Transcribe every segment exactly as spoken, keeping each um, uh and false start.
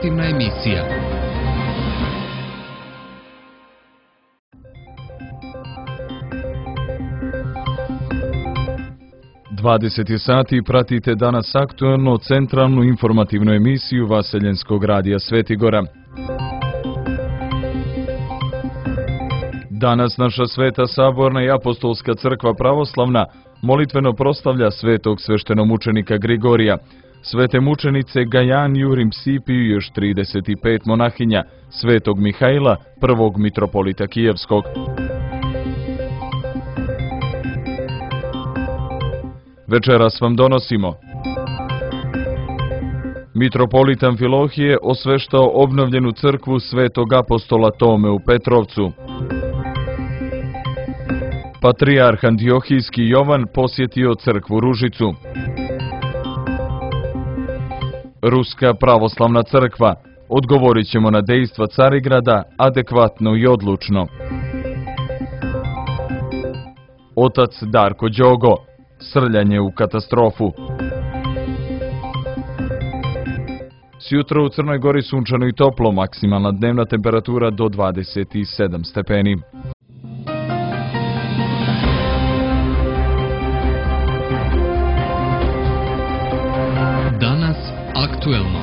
informativna emisija. dvadeset sati pratite danas aktuelno centralnu informativnu emisiju Vaseljenskog radija Svetigora. Danas naša Sveta Saborna i Apostolska crkva pravoslavna molitveno proslavlja svetog sveštenomučenika Grigorija, svete mučenice Gajan Jurim Sipiju i još trideset pet monahinja, svetog Mihajla, prvog mitropolita Kijevskog. Večeras vam donosimo: mitropolit Amfilohije osveštao obnovljenu crkvu svetog apostola Tome u Petrovcu. Patrijarh Antiohijski Jovan posjetio crkvu Ružicu. Ruska pravoslavna crkva: odgovorit ćemo na dejstva Carigrada adekvatno i odlučno. Otac Darko Đogo: srljanje u katastrofu. Sjutra u Crnoj Gori sunčano i toplo, maksimalna dnevna temperatura do dvadeset sedam stepeni. Danas aktuelno.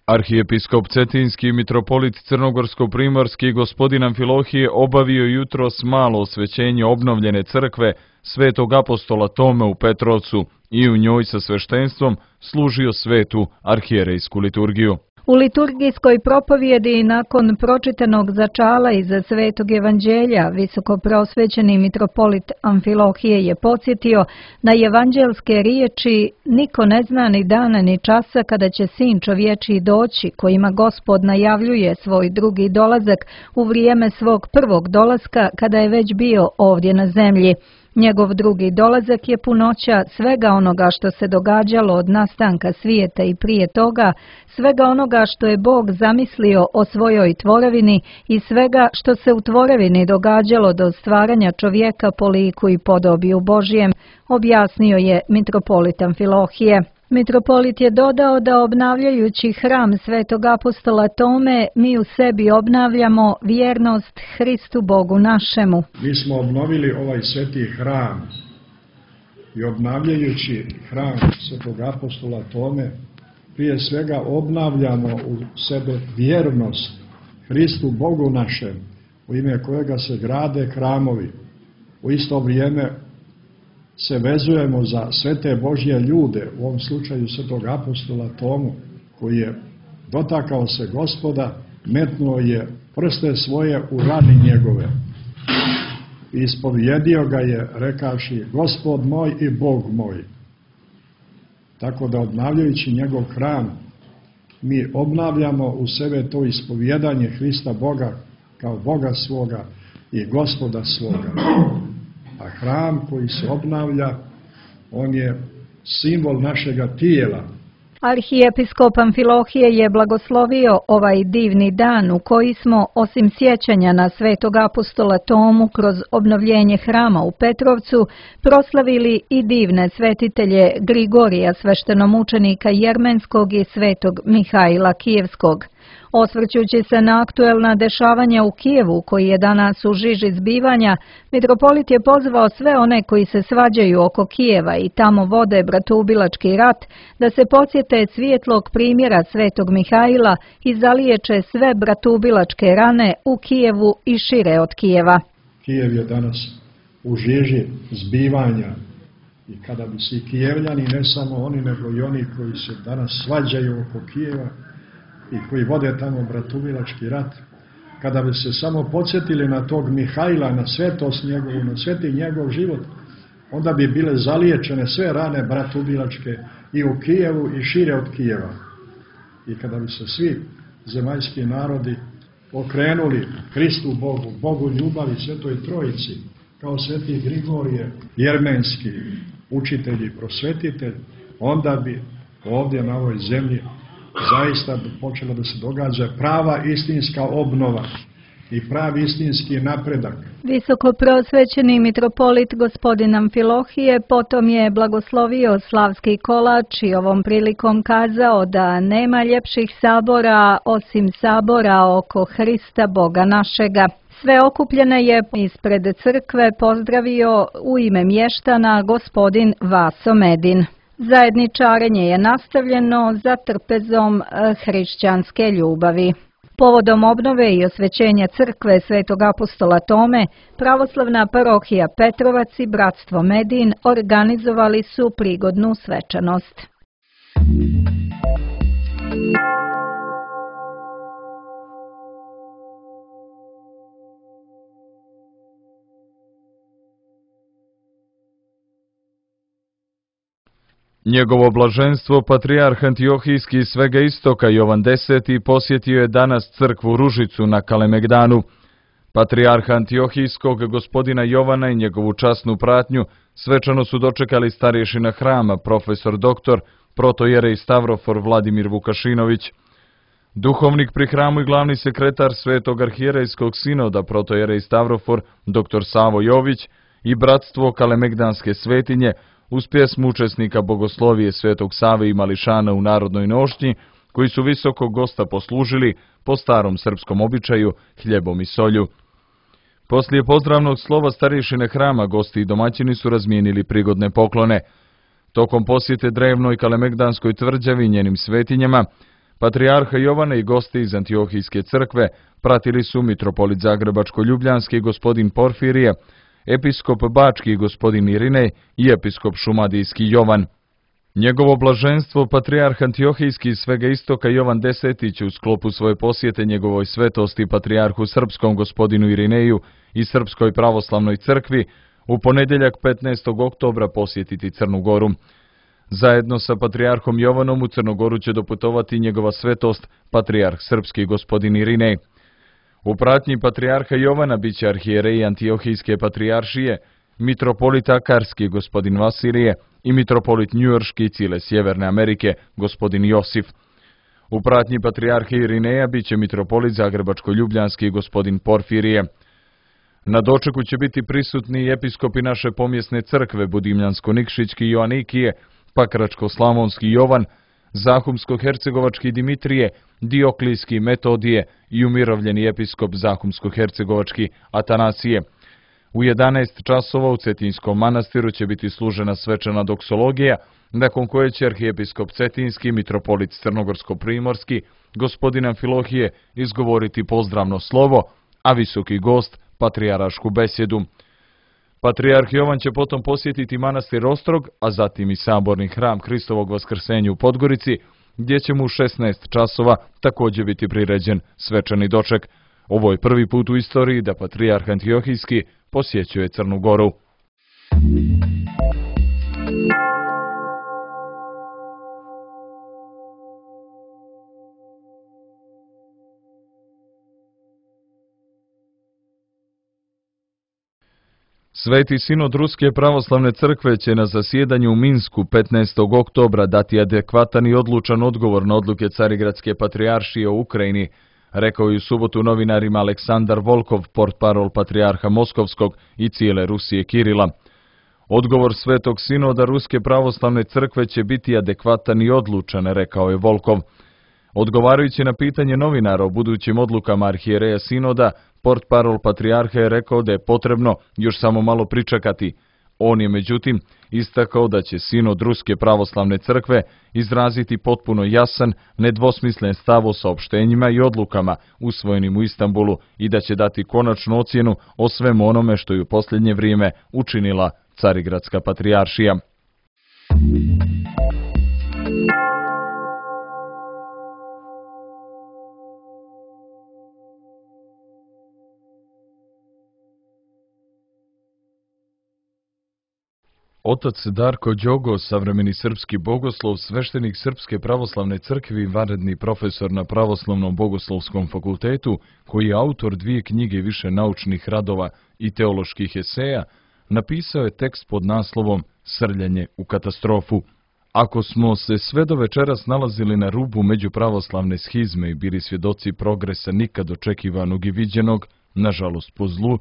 Arhijepiskop Cetinski i mitropolit Crnogorsko-primorski gospodin Amfilohije obavio jutros malo osvećenje obnovljene crkve svetog apostola Tome u Petrovcu i u njoj sa sveštenstvom služio svetu arhijerejsku liturgiju. U liturgijskoj propovjedi nakon pročitanog začala iz Svetog evanđelja visokoprosvećeni mitropolit Amfilohije je podsjetio na evanđelske riječi: niko ne zna ni dana ni časa kada će sin čovječiji doći, kojima Gospod najavljuje svoj drugi dolazak u vrijeme svog prvog dolaska kada je već bio ovdje na zemlji. Njegov drugi dolazak je punoća svega onoga što se događalo od nastanka svijeta i prije toga, svega onoga što je Bog zamislio o svojoj tvorevini i svega što se u tvorevini događalo do stvaranja čovjeka po liku i podobiju Božjem, objasnio je mitropolit Amfilohije. Mitropolit je dodao da obnavljajući hram svetog apostola Tome, mi u sebi obnavljamo vjernost Hristu Bogu našemu. Mi smo obnovili ovaj sveti hram i obnavljajući hram svetog apostola Tome, prije svega obnavljamo u sebe vjernost Hristu Bogu našem, u ime kojega se grade hramovi. U isto vrijeme se vezujemo za svete Božje ljude, u ovom slučaju svetog apostola Tomu, koji je dotakao se Gospoda, metnuo je prste svoje u rani njegove i ispovjedio ga je rekavši: Gospod moj i Bog moj. Tako da obnavljajući njegov hram, mi obnavljamo u sebe to ispovjedanje Hrista Boga kao Boga svoga i Gospoda svoga. A hram koji se obnavlja, on je simbol našega tijela. Arhijepiskop Amfilohije je blagoslovio ovaj divni dan u koji smo, osim sjećanja na svetog apostola Tomu kroz obnovljenje hrama u Petrovcu, proslavili i divne svetitelje Grigorija, sveštenomučenika Jermenskog i svetog Mihajla Kijevskog. Osvrćući se na aktuelna dešavanja u Kijevu, koji je danas u žiži zbivanja, mitropolit je pozvao sve one koji se svađaju oko Kijeva i tamo vode bratoubilački rat, da se podsjete svjetlog primjera svetog Mihajla i zaliječe sve bratoubilačke rane u Kijevu i šire od Kijeva. Kijev je danas u žiži zbivanja i kada bi svi Kijevljani, ne samo oni, nego i oni koji se danas svađaju oko Kijeva i koji vode tamo bratoubilački rat, kada bi se samo podsjetili na tog Mihajla, na svetost njegovu, na sveti njegov život, onda bi bile zaliječene sve rane bratoubilačke i u Kijevu i šire od Kijeva. I kada bi se svi zemaljski narodi okrenuli Hristu Bogu, Bogu ljubavi, Svetoj Trojici, kao sveti Grigorije, jermenski učitelj i prosvetitelj, onda bi ovdje na ovoj zemlji zaista počela da se događa prava istinska obnova. i pravi istinski napredak. Visokoprosvećeni mitropolit gospodin Amfilohije potom je blagoslovio slavski kolač i ovom prilikom kazao da nema ljepših sabora osim sabora oko Hrista Boga našega. Sve okupljene je ispred crkve pozdravio u ime mještana gospodin Vaso Medin. Zajedničarenje je nastavljeno za trpezom hrišćanske ljubavi. Povodom obnove i osvećenja crkve Svetog apostola Tome, pravoslavna parohija Petrovac i bratstvo Medin organizovali su prigodnu svečanost. Njegovo blaženstvo, patrijarh Antiohijski iz svega istoka Jovan Deseti posjetio je danas crkvu Ružicu na Kalemegdanu. Patrijarha Antiohijskog gospodina Jovana i njegovu časnu pratnju svečano su dočekali starješina hrama, profesor doktor, protojerej Stavrofor Vladimir Vukašinović. Duhovnik pri hramu i glavni sekretar Svetog arhijerejskog sinoda, protojerej Stavrofor, doktor Savo Jović i bratstvo Kalemegdanske svetinje, uz pjesmu učesnika bogoslovije Svetog Save i Mališana u narodnoj nošnji, koji su visokog gosta poslužili po starom srpskom običaju hljebom i solju. Poslije pozdravnog slova starješine hrama, gosti i domaćini su razmijenili prigodne poklone. Tokom posjete drevnoj Kalemegdanskoj tvrđavi i njenim svetinjama, patrijarha Jovana i gosti iz Antiohijske crkve pratili su mitropolit Zagrebačko-Ljubljanski gospodin Porfirije, episkop Bački gospodin Irinej i episkop Šumadijski Jovan. Njegovo blaženstvo, patrijarh Antiohijski iz svega istoka Jovan Deseti će u sklopu svoje posjete njegovoj svetosti patrijarhu srpskom gospodinu Irineju i Srpskoj pravoslavnoj crkvi u ponedjeljak petnaestog oktobra posjetiti Crnu Goru. Zajedno sa patrijarhom Jovanom u Crnogoru će doputovati njegova svetost, patrijarh srpski gospodin Irinej. U pratnji patrijarha Jovana bit će arhijereji Antiohijske patrijaršije, mitropolit Akarski gospodin Vasilije i mitropolit Njujorški i cijele Sjeverne Amerike gospodin Josif. U pratnji patrijarha Irineja bit će mitropolit Zagrebačko-Ljubljanski gospodin Porfirije. Na dočeku će biti prisutni i episkopi naše pomjesne crkve Budimljansko-Nikšićki Joanikije, Pakračko-Slavonski Jovan, Zahumsko-Hercegovački Dimitrije, Dioklijski Metodije i umirovljeni episkop Zahumsko-Hercegovački Atanasije. U jedanaest časova u Cetinskom manastiru će biti služena svečana doksologija, nakon koje će arhijepiskop Cetinski, mitropolit Crnogorsko-Primorski, gospodin Amfilohije izgovoriti pozdravno slovo, a visoki gost patrijarašku besjedu. Patrijarh Jovan će potom posjetiti manastir Ostrog, a zatim i saborni hram Hristovog vaskrsenja u Podgorici, gdje će mu u šesnaest časova također biti priređen svečani doček. Ovo je prvi put u istoriji da patrijarh Antiohijski posjećuje Crnu Goru. Sveti sinod Ruske pravoslavne crkve će na zasjedanju u Minsku petnaestog oktobra dati adekvatan i odlučan odgovor na odluke Carigradske patrijaršije o Ukrajini, rekao je u subotu novinarima Aleksandar Volkov, portparol patrijarha Moskovskog i cijele Rusije Kirila. Odgovor Svetog sinoda Ruske pravoslavne crkve će biti adekvatan i odlučan, rekao je Volkov. Odgovarajući na pitanje novinara o budućim odlukama arhijereja sinoda, portparol patrijarha je rekao da je potrebno još samo malo pričekati. On je međutim istakao da će sinod Ruske pravoslavne crkve izraziti potpuno jasan, nedvosmislen stav o saopštenjima i odlukama usvojenim u Istanbulu i da će dati konačnu ocjenu o svemu onome što je u posljednje vrijeme učinila Carigradska patrijaršija. Otac Darko Đogo, savremeni srpski bogoslov, sveštenik Srpske pravoslavne crkve i vanredni profesor na Pravoslavnom bogoslovskom fakultetu, koji je autor dvije knjige i više naučnih radova i teoloških eseja, napisao je tekst pod naslovom Srljanje u katastrofu. Ako smo se sve do večeras nalazili na rubu međupravoslavne schizme i bili svjedoci progresa nikad očekivanog i viđenog, nažalost po zlu,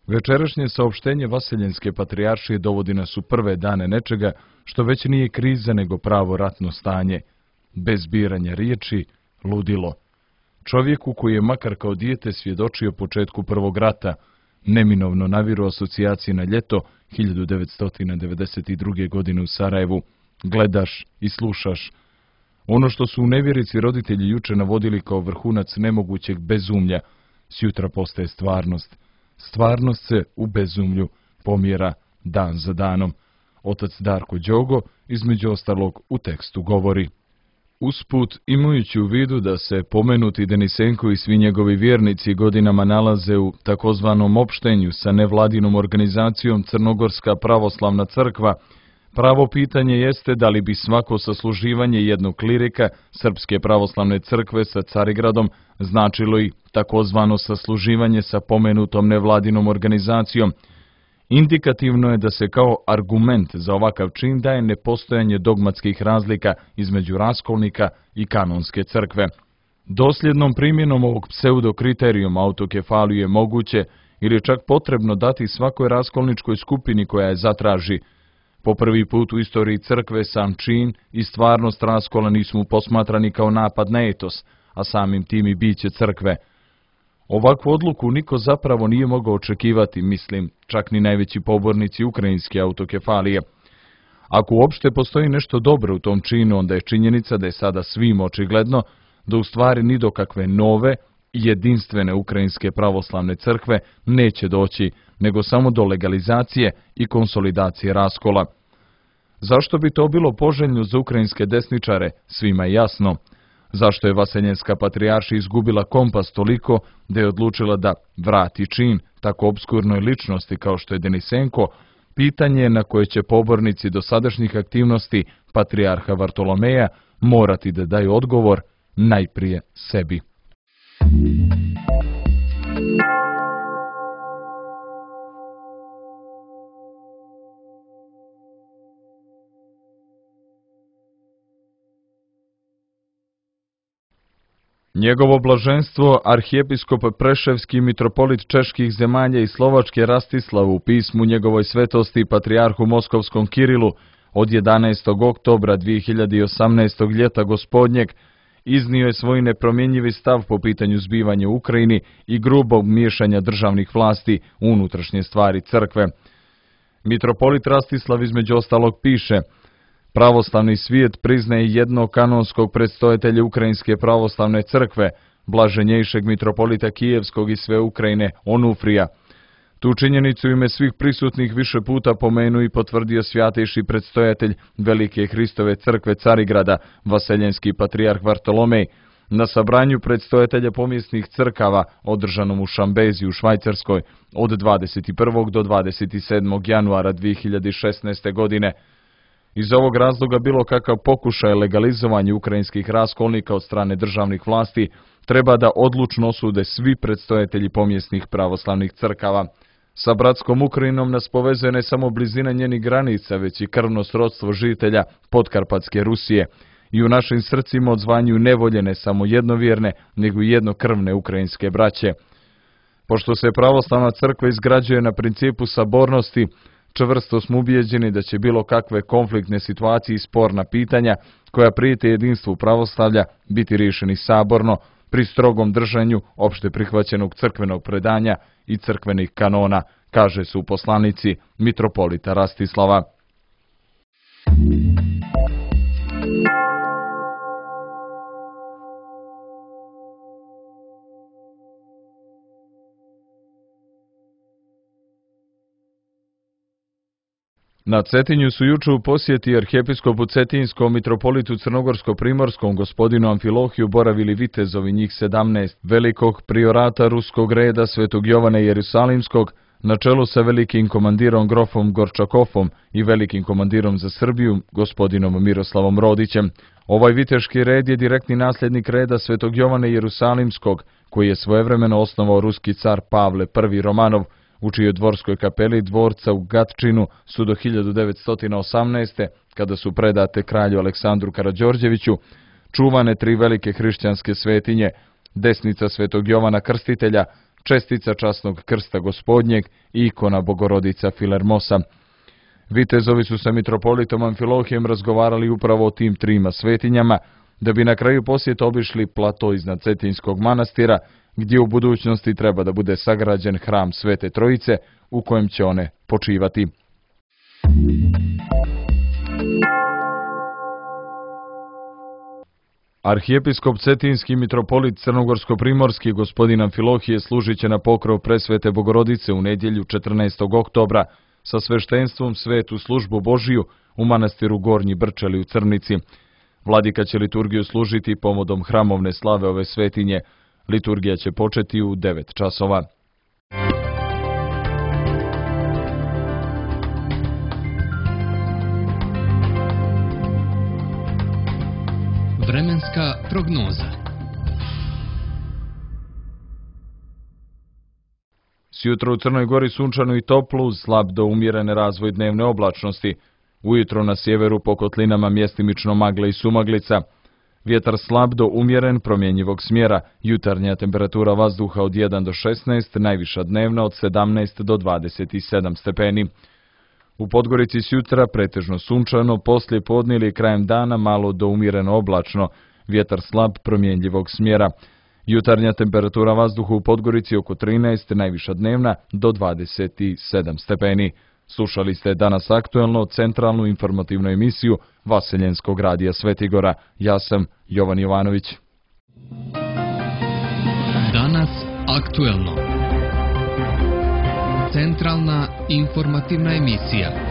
večerašnje saopštenje Vaseljenske patrijaršije dovodi nas u prve dane nečega što već nije kriza nego pravo ratno stanje, bez biranja riječi, ludilo. Čovjeku koji je makar kao dijete svjedočio početku prvog rata, neminovno naviru asocijacije na ljeto hiljadu devetsto devedeset druge. godine u Sarajevu, gledaš i slušaš. Ono što su u nevjerici roditelji juče navodili kao vrhunac nemogućeg bezumlja, sjutra postaje stvarnost. Stvarnost se u bezumlju pomjera dan za danom. Otac Darko Đogo, između ostalog, u tekstu govori: usput, imajući u vidu da se pomenuti Denisenko i svi njegovi vjernici godinama nalaze u takozvanom opštenju sa nevladinom organizacijom Crnogorska pravoslavna crkva, pravo pitanje jeste da li bi svako sasluživanje jednog klirika Srpske pravoslavne crkve sa Carigradom značilo i takozvano sasluživanje sa pomenutom nevladinom organizacijom. Indikativno je da se kao argument za ovakav čin daje nepostojanje dogmatskih razlika između raskolnika i kanonske crkve. Dosljednom primjenom ovog pseudokriterijuma autokefaliju je moguće ili čak potrebno dati svakoj raskolničkoj skupini koja je zatraži. Po prvi put u istoriji crkve sam čin i stvarnost raskola nisu posmatrani kao napad na etos, a samim tim i biće crkve. Ovakvu odluku niko zapravo nije mogao očekivati, mislim, čak ni najveći pobornici ukrajinske autokefalije. Ako uopšte postoji nešto dobro u tom činu, onda je činjenica da je sada svim očigledno da u stvari ni do kakve nove i jedinstvene ukrajinske pravoslavne crkve neće doći, nego samo do legalizacije i konsolidacije raskola. Zašto bi to bilo poželjno za ukrajinske desničare, svima je jasno. Zašto je Vaseljenska patrijaršija izgubila kompas toliko da je odlučila da vrati čin tako obskurnoj ličnosti kao što je Denisenko, pitanje je na koje će pobornici dosadašnjih aktivnosti patrijarha Vartolomeja morati da daju odgovor najprije sebi. Njegovo blaženstvo, arhijepiskop Preševski, mitropolit čeških zemalja i Slovačke Rastislav u pismu njegovoj svetosti patrijarhu Moskovskom Kirilu od jedanaestog oktobra dvije hiljade osamnaestog ljeta gospodnjeg iznio je svoj nepromjenjivi stav po pitanju zbivanja u Ukrajini i grubog miješanja državnih vlasti u unutrašnje stvari crkve. Mitropolit Rastislav između ostalog piše: pravoslavni svijet priznaje jednog kanonskog predstojatelja Ukrajinske pravoslavne crkve, blaženjejšeg mitropolita Kijevskog i sve Ukrajine, Onufrija. Tu činjenicu ime svih prisutnih više puta pomenu i potvrdio svjatejši predstojatelj Velike Hristove crkve Carigrada, Vaseljenski patrijarh Vartolomej, na sabranju predstojatelja pomjesnih crkava održanom u Šambezi u Švajcarskoj od dvadeset prvog do dvadeset sedmog januara dvije hiljade šesnaeste. godine. Iz ovog razloga bilo kakav pokušaj legalizovanja ukrajinskih raskolnika od strane državnih vlasti treba da odlučno osude svi predstojatelji pomjesnih pravoslavnih crkava. Sa bratskom Ukrajinom nas povezuje ne samo blizina njenih granica, već i krvno srodstvo žitelja Podkarpatske Rusije. I u našim srcima odzvanjuju nevolje ne samo jednovjerne, nego i jednokrvne ukrajinske braće. Pošto se pravoslavna crkva izgrađuje na principu sabornosti, čvrsto smo ubijeđeni da će bilo kakve konfliktne situacije i sporna pitanja koja prijete jedinstvu pravoslavlja biti riješeni saborno, pri strogom držanju opšte prihvaćenog crkvenog predanja i crkvenih kanona, kaže su poslanici mitropolita Rastislava. Na Cetinju su juče u posjeti arhijepiskopu Cetinskom mitropolitu Crnogorsko-Primorskom gospodinu Amfilohiju boravili vitezovi, njih sedamnaest, velikog priorata ruskog reda Svetog Jovana Jerusalimskog, na čelu sa velikim komandirom grofom Gorčakofom i velikim komandirom za Srbiju, gospodinom Miroslavom Rodićem. Ovaj viteški red je direktni nasljednik reda Svetog Jovana Jerusalimskog, koji je svojevremeno osnovao ruski car Pavle prvi Romanov, u čijoj dvorskoj kapeli dvorca u Gatčinu su do hiljadu devetsto osamnaeste. kada su predate kralju Aleksandru Karađorđeviću, čuvane tri velike hrišćanske svetinje, desnica Svetog Jovana Krstitelja, čestica časnog krsta gospodnjeg i ikona Bogorodica Filermosa. Vitezovi su sa mitropolitom Amfilohijem razgovarali upravo o tim trima svetinjama, da bi na kraju posjeta obišli plato iznad Cetinskog manastira, gdje u budućnosti treba da bude sagrađen hram Svete Trojice, u kojem će one počivati. Arhijepiskop Cetinski mitropolit Crnogorsko-primorski gospodin Amfilohije služit će na pokrov presvete Bogorodice u nedjelju četrnaestog oktobra sa sveštenstvom svetu službu Božiju u manastiru Gornji Brčeli u Crnici. Vladika će liturgiju služiti povodom hramovne slave ove svetinje. Liturgija će početi u devet časova. Vremenska prognoza. Sjutra u Crnoj Gori sunčano i toplo uz slab do umjerene razvoj dnevne oblačnosti. Ujutro na sjeveru po kotlinama mjestimično magle i sumaglica. Vjetar slab do umjeren promjenjivog smjera, jutarnja temperatura vazduha od jedan do šesnaest, najviša dnevna od sedamnaest do dvadeset sedam stepeni. U Podgorici sjutra pretežno sunčano, poslije podne ili krajem dana malo do umjereno oblačno, vjetar slab promjenjivog smjera. Jutarnja temperatura vazduha u Podgorici oko trinaest, najviša dnevna do dvadeset sedam stepeni. Slušali ste danas aktuelno centralnu informativnu emisiju Vaseljenskog radija Svetigora. Ja sam Jovan Jovanović. Danas aktuelno. Centralna informativna emisija.